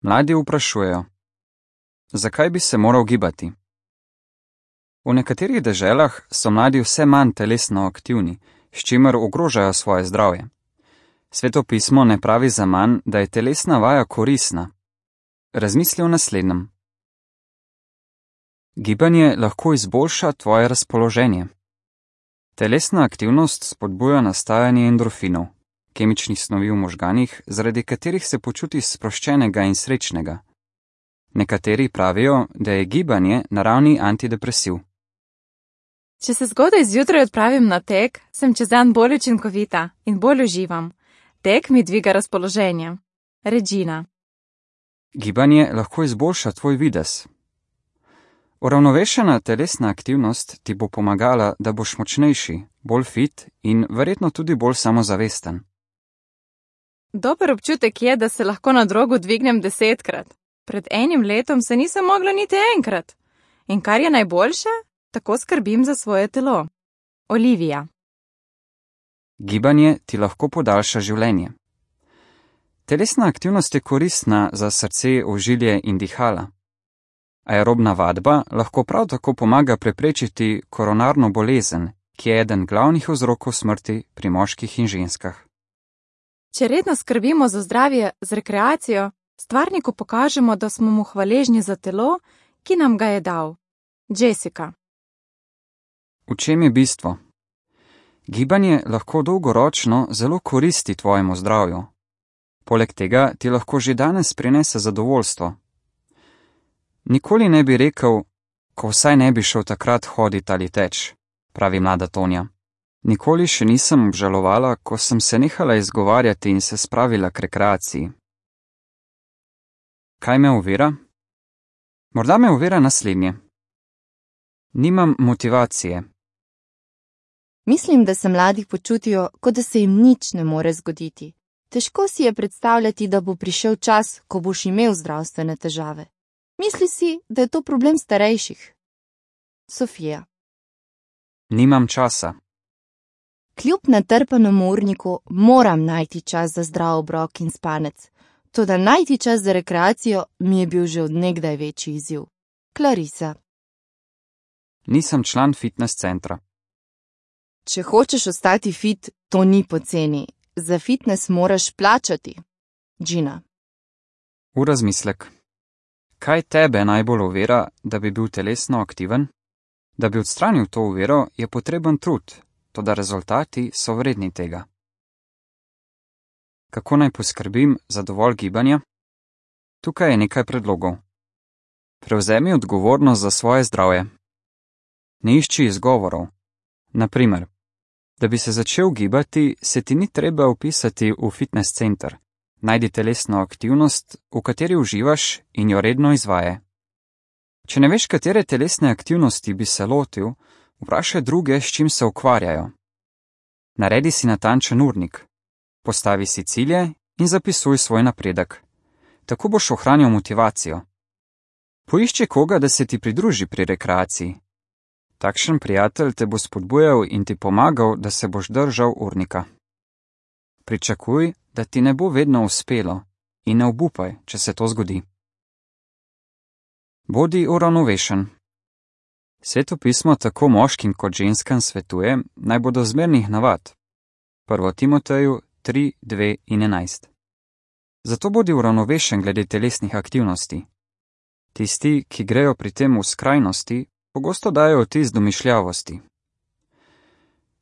Mladi vprašujejo: zakaj bi se moral gibati? V nekaterih deželah so mladi vse manj telesno aktivni, s čimer ogrožajo svoje zdravje. Sveto pismo ne pravi zaman, da je telesna vaja koristna. Razmisli o naslednjem. Gibanje lahko izboljša tvoje razpoloženje. Telesna aktivnost spodbuja nastajanje endorfinov, kemičnih snovi v možganih, zaradi katerih se počutiš sproščenega in srečnega. Nekateri pravijo, da je gibanje naravni antidepresiv. Če se zgodaj zjutraj odpravim na tek, sem čez dan bolj učinkovita in bolj uživam. Tek mi dviga razpoloženje. Regina. Gibanje lahko izboljša tvoj videz. Uravnovešena telesna aktivnost ti bo pomagala, da boš močnejši, bolj fit in verjetno tudi bolj samozavesten. Dober občutek je, da se lahko na drogu dvignem 10-krat. Pred enim letom se nisem mogla niti enkrat. In kar je najboljše, tako skrbim za svoje telo. Olivija. Gibanje ti lahko podaljša življenje. Telesna aktivnost je koristna za srce, ožilje in dihala. Aerobna vadba lahko prav tako pomaga preprečiti koronarno bolezen, ki je eden glavnih vzrokov smrti pri moških in ženskah. Če redno skrbimo za zdravje z rekreacijo, stvarniku pokažemo, da smo mu hvaležni za telo, ki nam ga je dal. Jessica. V čem je bistvo? Gibanje lahko dolgoročno zelo koristi tvojemu zdravju. Poleg tega ti lahko že danes prinese zadovoljstvo. Nikoli ne bi rekel, ko vsaj ne bi šel takrat hodit ali teč, pravi mlada Tonja. Nikoli še nisem obžalovala, ko sem se nehala izgovarjati in se spravila k rekreaciji. Kaj me ovira? Morda me ovira naslednje. Nimam motivacije. Mislim, da se mladi počutijo, kot da se jim nič ne more zgoditi. Težko si je predstavljati, da bo prišel čas, ko boš imel zdravstvene težave. Misli si, da je to problem starejših. Sofija. Nimam časa. Kljub natrpanemu urniku moram najti čas za zdrav obrok in spanec. Toda najti čas za rekreacijo mi je bil že od nekdaj večji izziv. Clarisa. Nisem član fitness centra. Če hočeš ostati fit, to ni poceni. Za fitness moraš plačati. Gina. V razmislek. Kaj tebe najbolj ovira, da bi bil telesno aktiven? Da bi odstranil to oviro, je potreben trud, toda rezultati so vredni tega. Kako naj poskrbim za dovolj gibanja? Tukaj je nekaj predlogov. Prevzemi odgovornost za svoje zdravje. Ne išči izgovorov. Na primer, da bi se začel gibati, se ti ni treba vpisati v fitness center. Najdi telesno aktivnost, v kateri uživaš in jo redno izvaje. Če ne veš, katere telesne aktivnosti bi se lotil, vprašaj druge, s čim se ukvarjajo. Naredi si natančen urnik. Postavi si cilje in zapisuj svoj napredek. Tako boš ohranil motivacijo. Poišči koga, da se ti pridruži pri rekreaciji. Takšen prijatelj te bo spodbujal in ti pomagal, da se boš držal urnika. Pričakuj, da ti ne bo vedno uspelo in ne obupaj, če se to zgodi. Bodi uravnovešen. Sveto pismo tako moškim kot ženskam svetuje, naj bodo zmernih navad. 1. Timoteju 3, 2 in 11. Zato bodi uravnovešen glede telesnih aktivnosti. Tisti, ki grejo pri tem v skrajnosti, pogosto dajo vtis domišljavosti.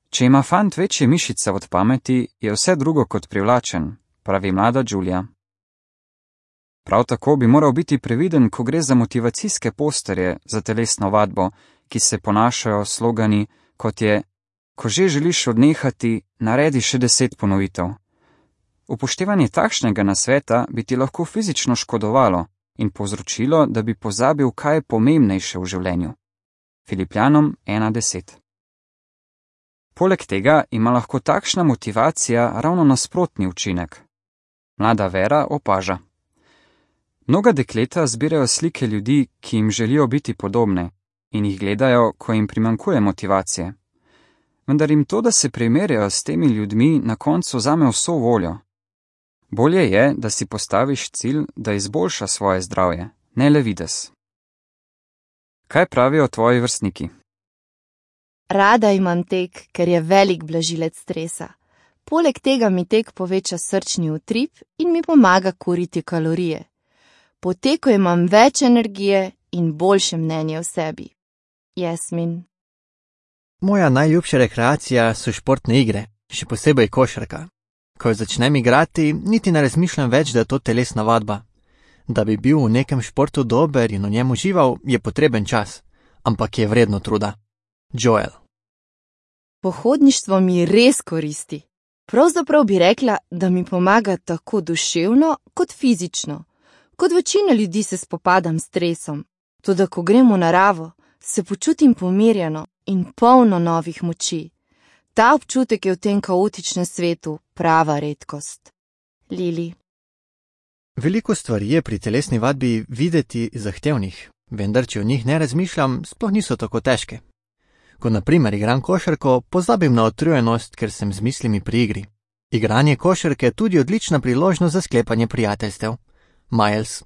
Če ima fant večje mišice od pameti, je vse drugo kot privlačen, pravi mlada Julia. Prav tako bi moral biti previden, ko gre za motivacijske posterje za telesno vadbo, ki se ponašajo slogani, kot je: ko že želiš odnehati, naredi še 10 ponovitev. Upoštevanje takšnega nasveta bi ti lahko fizično škodovalo in povzročilo, da bi pozabil, kaj je pomembnejše v življenju. Filipljanom 1:10. Poleg tega ima lahko takšna motivacija ravno nasprotni učinek. Mlada Vera opaža. Mnoga dekleta zbirajo slike ljudi, ki jim želijo biti podobne, in jih gledajo, ko jim primanjkuje motivacije. Vendar jim to, da se primerjajo s temi ljudmi, na koncu vzame vso voljo. Bolje je, da si postaviš cilj, da izboljša svoje zdravje, ne le videz. Kaj pravijo tvoji vrstniki? Rada imam tek, ker je velik blažilec stresa. Poleg tega mi tek poveča srčni utrip in mi pomaga kuriti kalorije. Po teku imam več energije in boljše mnenje o sebi. Jasmin. Moja najljubša rekreacija so športne igre, še posebej košarka. Ko jo začnem igrati, niti ne razmišljam več, da je to telesna vadba. Da bi bil v nekem športu dober in v njem užival, je potreben čas, ampak je vredno truda. Joel. Pohodništvo mi res koristi. Pravzaprav bi rekla, da mi pomaga tako duševno kot fizično. Kot večina ljudi se spopadam s stresom. Toda ko grem v naravo, se počutim pomirjeno in polno novih moči. Ta občutek je v tem kaotičnem svetu prava redkost. Lili. Veliko stvari je pri telesni vadbi videti zahtevnih, vendar če o njih ne razmišljam, sploh niso tako težke. Ko na primer igram košarko, pozabim na utrujenost, ker sem z mislimi pri igri. Igranje košarke je tudi odlična priložnost za sklepanje prijateljstev. Miles.